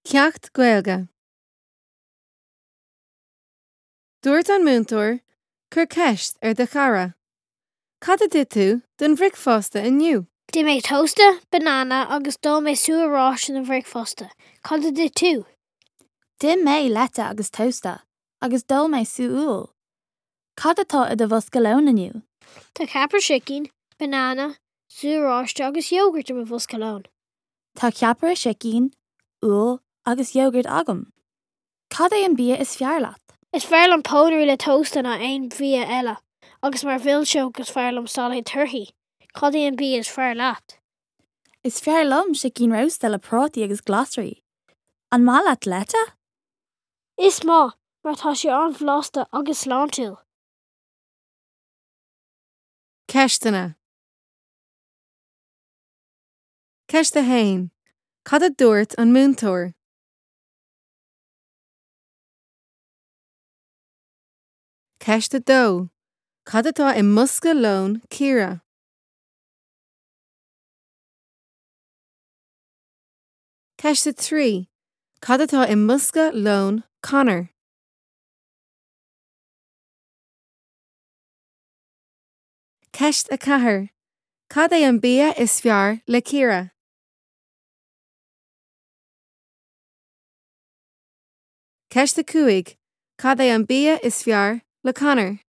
Ceacht Gaeilge. Dúirt an múinteoir, Cuir ceist ar do chara. Cad a d'ith tú don bhricfeasta inniu? D'ith mé tósta, banana agus d'ól mé sú oráiste don bhricfeasta. Cad a d'ith tú? D'ith mé leite agus tósta agus d'ól mé sú úll. Cad atá i do bhosca lóin inniu? Tá ceapaire sicín, banana, sú oráiste agus iógart i mo bhosca lóin. Tá ceapaire sicín, úll agus iógart agam. Cad é an bia is fearr leat? Is fearr liom pónairí le tósta ná aon bhia eile, agus mar mhilseog is fearr liom sailéad torthaí. Cad é an bia is fearr leat? Is fearr liom sicín rósta le prátaí agus glasraí. An maith leat leite? Is maith, mar tá sé an-bhlasta agus sláintiúil. Ceisteanna. Ceist 1. Cad a dúirt an múinteoir? Ceist 2. Cad atá i mbosca lóin Ciara? Ceist 3. Cad atá i mbosca lóin Conor? Ceist 4. Cad é an bia is fearr le Ciara? Ceist 5. Cad é an bia is fearr le Conor?